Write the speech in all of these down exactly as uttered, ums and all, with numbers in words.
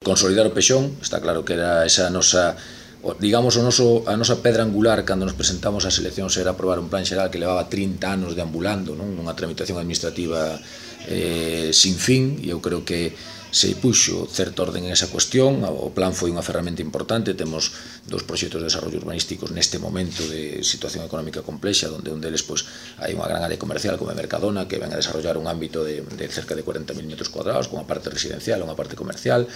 Consolidar o Pexón, está claro que era esa nosa, digamos, o noso, a nosa pedra angular cando nos presentamos ás eleccións era aprobar un plan xeral que levaba trinta anos deambulando, non? Unha tramitación administrativa eh, sin fin, e eu creo que se puxo certo orden en esa cuestión. O plan foi unha ferramenta importante. Temos dos proxectos de desarrollo urbanísticos neste momento de situación económica complexa, onde un deles pois, hai unha gran área comercial como a Mercadona, que ven a desarrollar un ámbito de, de cerca de cuarenta mil metros cuadrados, con unha parte residencial, unha parte comercial.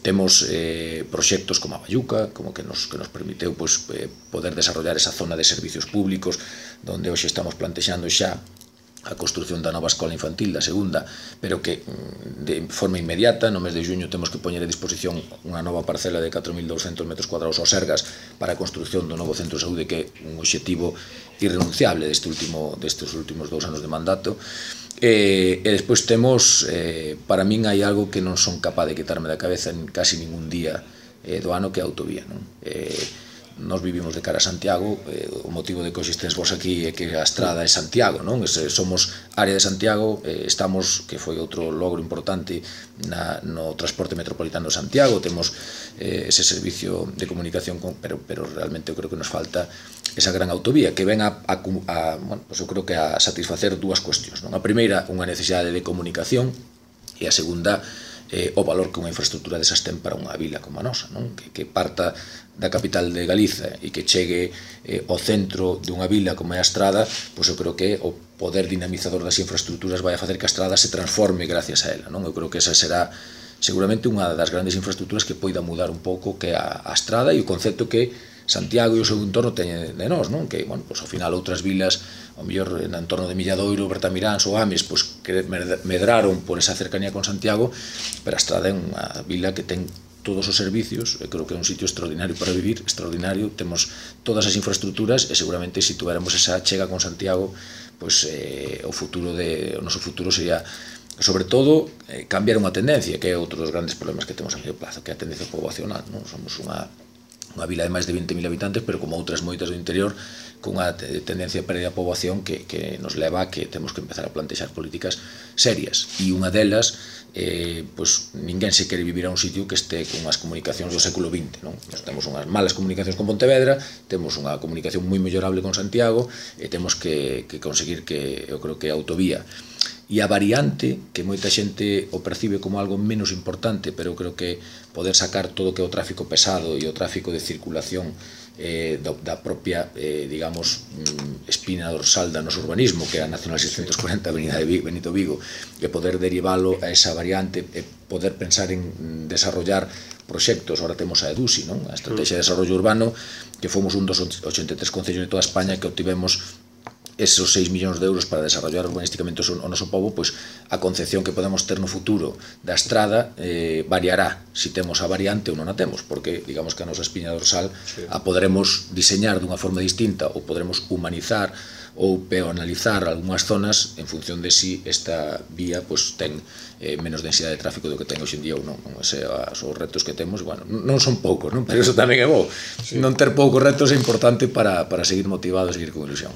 Temos eh, proxectos como a Bayuca, como que nos, que nos permiteu pois, eh, poder desarrollar esa zona de servicios públicos, onde hoxe estamos plantexando xa a construción da nova escola infantil, da segunda, pero que de forma inmediata, no mes de xuño, temos que poñer a disposición unha nova parcela de catro mil douscentos metros cuadrados ao Sergas para a construción do novo centro de saúde, que é un obxectivo irrenunciable deste último, destes últimos dous anos de mandato. E, e despois temos, eh, para min hai algo que non son capaz de quitarme da cabeza en casi ningún día eh, do ano, que é a autovía, non? Eh, Nos vivimos de cara a Santiago, eh, o motivo de que hoxe estes vos aquí é que a estrada é Santiago, non? Ese, somos área de Santiago, eh, estamos, que foi outro logro importante na, no transporte metropolitano de Santiago, temos eh, ese servicio de comunicación, con, pero, pero realmente eu creo que nos falta esa gran autovía, que ven a, a, a bueno, pues eu creo que a satisfacer dúas cuestións, non? A primeira, unha necesidade de comunicación, e a segunda, eh, o valor que unha infraestructura desas ten para unha vila como a nosa, non? Que, que parta da capital de Galiza e que chegue eh, ao centro dunha vila como é a Estrada, pois eu creo que o poder dinamizador das infraestructuras vai a facer que a Estrada se transforme gracias a ela, non? Eu creo que esa será seguramente unha das grandes infraestructuras que poida mudar un pouco que a, a Estrada e o concepto que Santiago e o seu entorno teñen de nós, non? Que, bueno, pois ao final outras vilas, ao mellor en entorno de Milladoiro, Bertamiráns ou Ames, pois que medraron por esa cercanía con Santiago, pero a Estrada é unha vila que ten todos os servicios, e creo que é un sitio extraordinario para vivir, extraordinario, temos todas as infraestructuras, e seguramente se tuéramos esa chega con Santiago, pois eh, o futuro de, o noso futuro sería, sobre todo, eh, cambiar unha tendencia, que é outro dos grandes problemas que temos a medio plazo, que é a tendencia poboacional, non? Somos unha unha vila de máis de vinte mil habitantes, pero como outras moitas do interior, con unha tendencia a pérdida de poboación que, que nos leva a que temos que empezar a plantexar políticas serias. E unha delas, eh, pois, ninguén se quere vivir a un sitio que este con as comunicacións do século vinte, non? Nos temos unhas malas comunicacións con Pontevedra, temos unha comunicación moi mellorable con Santiago, e temos que, que conseguir que, eu creo que a autovía e a variante, que moita xente o percibe como algo menos importante, pero eu creo que poder sacar todo o que é o tráfico pesado e o tráfico de circulación eh, da propia, eh, digamos, espina dorsal da noso urbanismo, que é a Nacional seiscentos cuarenta, Avenida de Vigo, Benito Vigo, e poder derivalo a esa variante, e poder pensar en desarrollar proxectos. Ahora temos a EDUSI, non? A Estrategia de Desarrollo Urbano, que fomos un dos ochenta e tres concellos de toda España que obtivemos esos seis millóns de euros para desarrollar urbanísticamente o noso pobo. Pois a concepción que podemos ter no futuro da estrada eh, variará se temos a variante ou non a temos, porque digamos que a nosa espiña dorsal sí. a poderemos diseñar dunha forma distinta, ou poderemos humanizar ou peonalizar algunhas zonas en función de si esta vía pois, ten eh, menos densidade de tráfico do que ten hoxe en día ou non. Ese son os retos que temos, bueno, non son poucos, non? Pero iso tamén é bo. Sí. Non ter poucos retos é importante para, para seguir motivados e seguir con ilusión.